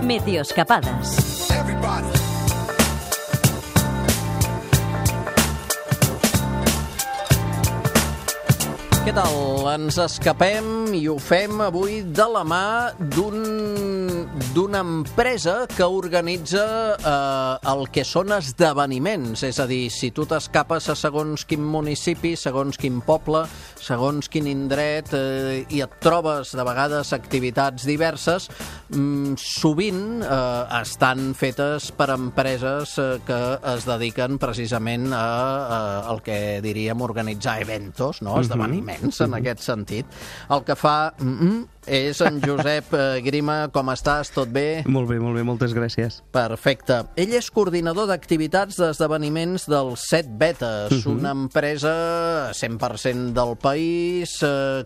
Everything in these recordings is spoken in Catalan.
Meteoscapades. Què tal? Ens escapem i ho fem avui de la mà d'una empresa que organitza el que són esdeveniments. És a dir, si tu t'escapes a segons quin municipi, segons quin poble, segons quin indret i et trobes de vegades activitats diverses, sovint estan fetes per empreses que es dediquen precisament al que diríem organitzar eventos, no? Esdeveniments. En aquest sentit. El que fa és en Josep Grima. Com estàs? Tot bé? Molt bé, moltes gràcies. Perfecte. Ell és coordinador d'activitats d'esdeveniments del Set Vetes, una empresa 100% del país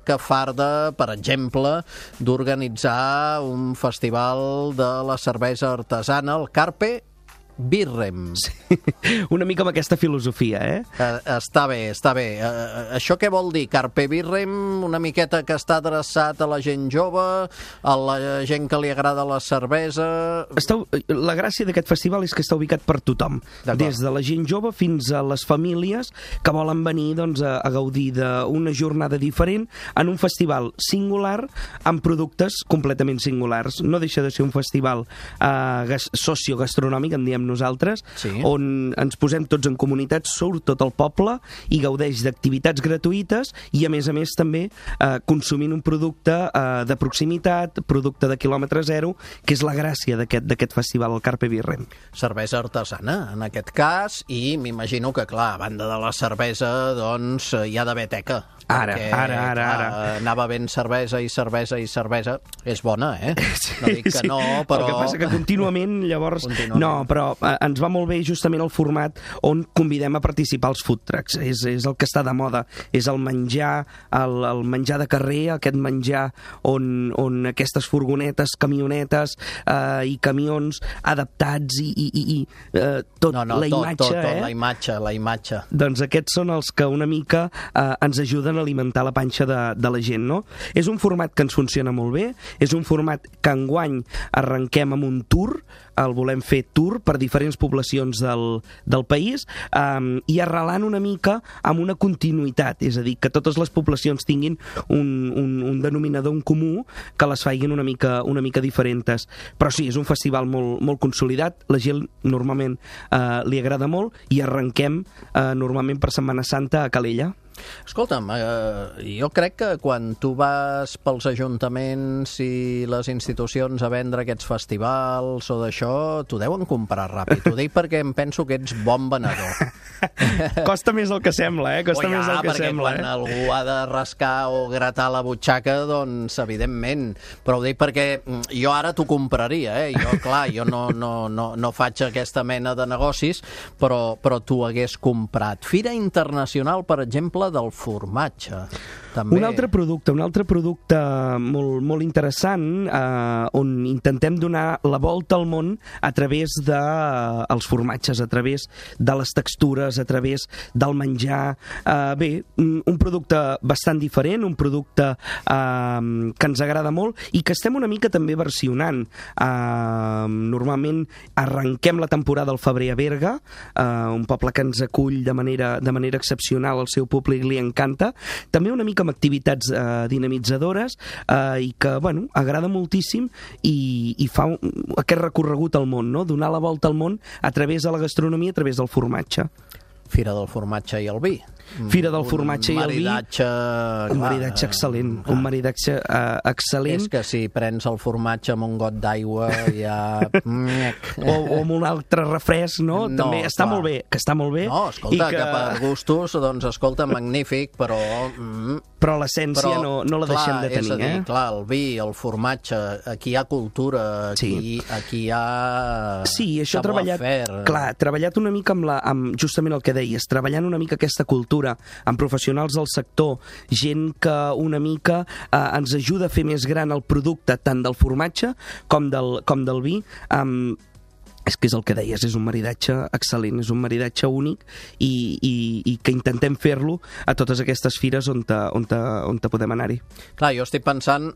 que farda, per exemple, d'organitzar un festival de la cervesa artesana, el Carpe Birrem. Sí, una mica amb aquesta filosofia, Està bé. Això què vol dir? Carpe Birrem, una miqueta que està adreçat a la gent jove, a la gent que li agrada la cervesa... La gràcia d'aquest festival és que està ubicat per tothom, des de la gent jove fins a les famílies que volen venir a gaudir d'una jornada diferent en un festival singular amb productes completament singulars. No deixa de ser un festival sociogastronòmic, en diem nosaltres, on ens posem tots en comunitat, surt tot el poble i gaudeix d'activitats gratuïtes i a més també consumint un producte de proximitat, producte de quilòmetre zero, que és la gràcia d'aquest festival, el Carpe Birrem. Cervesa artesana, en aquest cas, i m'imagino que, clar, a banda de la cervesa, doncs, hi ha d'haver teca. Ara. Anava ben cervesa i cervesa. És bona, No dic que no, però... El que passa que contínuament, llavors... No, però ens va molt bé justament el format on convidem a participar els food trucks. És el que està de moda. És el menjar, el menjar de carrer, aquest menjar on aquestes furgonetes, camionetes i camions adaptats i tot, la imatge. La imatge. Doncs aquests són els que una mica ens ajuden a alimentar la panxa de la gent, no? És un format que ens funciona molt bé, és un format que enguany arrenquem amb un tour, el volem fer tour per diferents poblacions del país i arrelant una mica amb una continuïtat, és a dir, que totes les poblacions tinguin un denominador en comú que les facin una mica diferents. Però sí, és un festival molt consolidat, la gent normalment li agrada molt i arrenquem normalment per Setmana Santa a Calella. Escolta'm, jo crec que quan tu vas pels ajuntaments i les institucions a vendre aquests festivals o d'això, t'ho deuen comprar ràpid. Ho dic perquè em penso que ets bon venedor. Costa més el que sembla, Costa més el que sembla. Quan algú ha de rascar o gratar la butxaca, doncs, evidentment. Però ho dic perquè jo ara t'ho compraria, Jo no faig aquesta mena de negocis, però t'ho hagués comprat. Fira Internacional, per exemple, del formatge. També. Un altre producte molt interessant on intentem donar la volta al món a través dels formatges, a través de les textures, a través del menjar. Un producte bastant diferent, un producte que ens agrada molt i que estem una mica també versionant. Normalment arrenquem la temporada al febrer a Berga, un poble que ens acull de manera excepcional, el seu públic li encanta. També una mica amb activitats dinamitzadores i que, agrada moltíssim i fa aquest recorregut al món, no? Donar la volta al món a través de la gastronomia, a través del formatge. Fira del formatge i el vi. Fira del formatge i el vi. Un maridatge excel·lent. Un maridatge excel·lent. És que si prens el formatge amb un got d'aigua ja... o amb un altre refresc, no? També està molt bé. Que està molt bé. No, escolta, que per gustos, doncs, escolta, magnífic, però... Però l'essència no la deixem de tenir, És a dir, clar, el vi, el formatge, aquí hi ha cultura, aquí hi ha... Sí, això treballat una mica amb justament el que deies, treballant una mica aquesta cultura amb professionals del sector, gent que una mica ens ajuda a fer més gran el producte tant del formatge com del vi, és que és el que deies, és un maridatge excel·lent, és un maridatge únic i que intentem fer-lo a totes aquestes fires on podem anar-hi. Clar, jo estic pensant,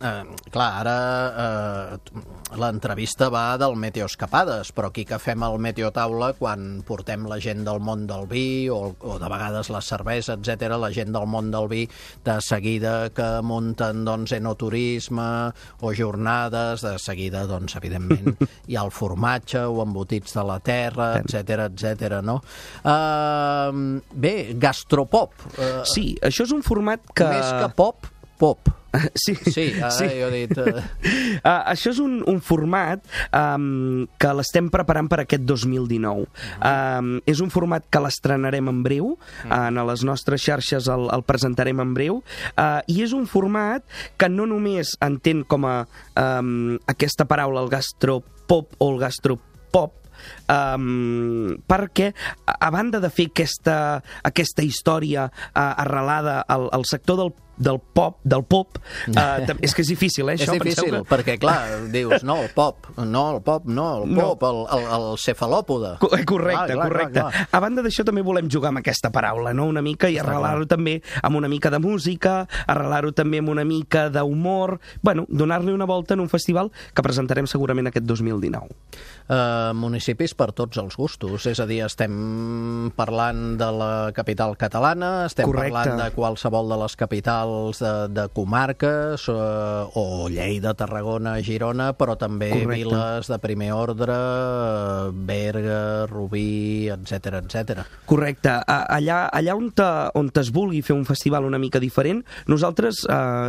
ara l'entrevista va del Meteoescapades, però aquí que fem el Meteotaula, quan portem la gent del món del vi o de vegades la cervesa, etc, la gent del món del vi, de seguida que munten enoturisme o jornades, de seguida, evidentment, hi ha el formatge o embotits de la terra, etc, no? Bé, gastropop. Sí, això és un format que... Més que pop. Sí. Jo he dit... Això és un format que l'estem preparant per aquest 2019. És un format que l'estrenarem en breu, a les nostres xarxes el presentarem en breu, i és un format que no només entén com a aquesta paraula, el gastropop o el gastropop, perquè a banda de fer aquesta història arrelada al sector del pop, és que és difícil, això. És difícil, perquè, clar, dius, el pop, el cefalòpode. Correcte. A banda d'això, també volem jugar amb aquesta paraula, no?, una mica, i arrelar-ho també amb una mica de música, arrelar-ho també amb una mica d'humor, donar-li una volta en un festival que presentarem segurament aquest 2019. Municipis per tots els gustos, és a dir, estem parlant de la capital catalana, estem parlant de qualsevol de les capitals de comarques, o Lleida, Tarragona, Girona, però també viles de primer ordre, Berga, Rubí, etc. Correcte. Allà on es vulgui fer un festival una mica diferent, nosaltres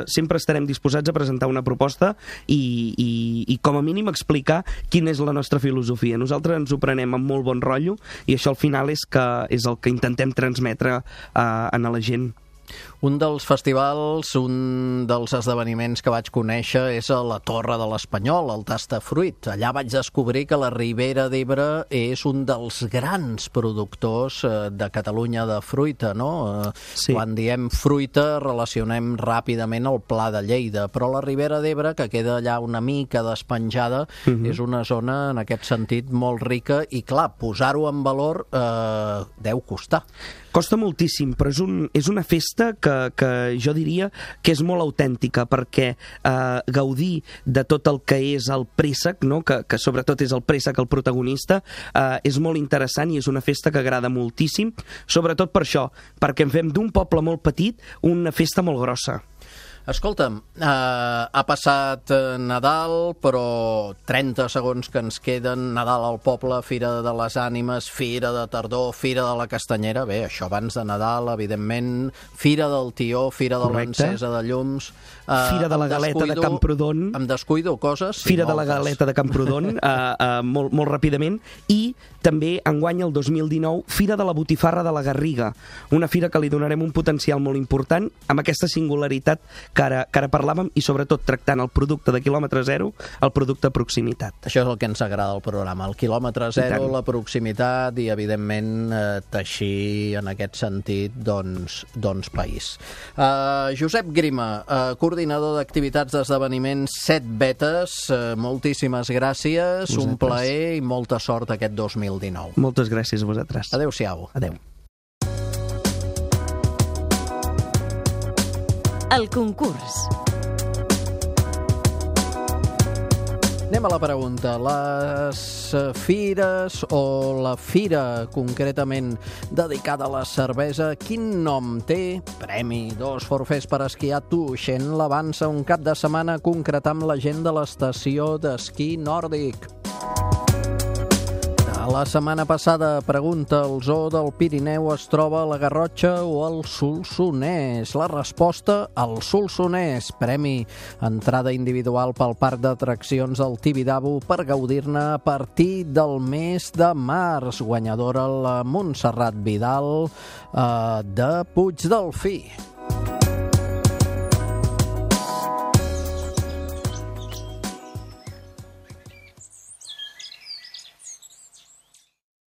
sempre estarem disposats a presentar una proposta i com a mínim explicar quina és la nostra filosofia. Nosaltres ens ho prenem amb molt bon rotllo i això al final és el que intentem transmetre a la gent. Un dels festivals, un dels esdeveniments que vaig conèixer és a la Torre de l'Espanyol, el Tastafruit. Allà vaig descobrir que la Ribera d'Ebre és un dels grans productors de Catalunya de fruita, no? Sí. Quan diem fruita relacionem ràpidament el Pla de Lleida, però la Ribera d'Ebre, que queda allà una mica despenjada, és una zona en aquest sentit molt rica i, clar, posar-ho en valor deu costar. Costa moltíssim, però és una festa que jo diria que és molt autèntica, perquè gaudir de tot el que és el préssec, no? que sobretot és el préssec el protagonista, és molt interessant i és una festa que agrada moltíssim, sobretot per això, perquè en fem d'un poble molt petit una festa molt grossa. Escolta'm, ha passat Nadal, però 30 segons que ens queden, Nadal al poble, Fira de les Ànimes, Fira de Tardor, Fira de la Castanyera, bé, això abans de Nadal, evidentment, Fira del Tió, Fira de l'Encesa de Llums... Fira de la Galeta de Camprodon. Em descuido coses? Sí, Fira de la Galeta de Camprodon, molt ràpidament, i també enguany el 2019 Fira de la Botifarra de la Garriga, una fira que li donarem un potencial molt important amb aquesta singularitat que ara parlàvem i sobretot tractant el producte de quilòmetre zero, el producte de proximitat. Això és el que ens agrada al programa, el quilòmetre zero, la proximitat i evidentment teixir en aquest sentit doncs país. Josep Grima, coordinador d'activitats d'esdeveniments 7 Vetes, moltíssimes gràcies, un plaer i molta sort aquest 2019. Moltes gràcies a vosaltres. Adéu-siau. Adéu. El concurs. Anem a la pregunta. Les fires o la fira concretament dedicada a la cervesa, quin nom té? Premi, 2 forfets per esquiar Tuixent l'avança un cap de setmana a concretar amb la gent de l'estació d'esquí nòrdic. La setmana passada, pregunta, el zoo del Pirineu es troba a la Garrotxa o al Solsonès? La resposta, al Solsonès. Premi, entrada individual pel parc d'atraccions del Tibidabo per gaudir-ne a partir del mes de març. Guanyadora la Montserrat Vidal de Puigdelfí.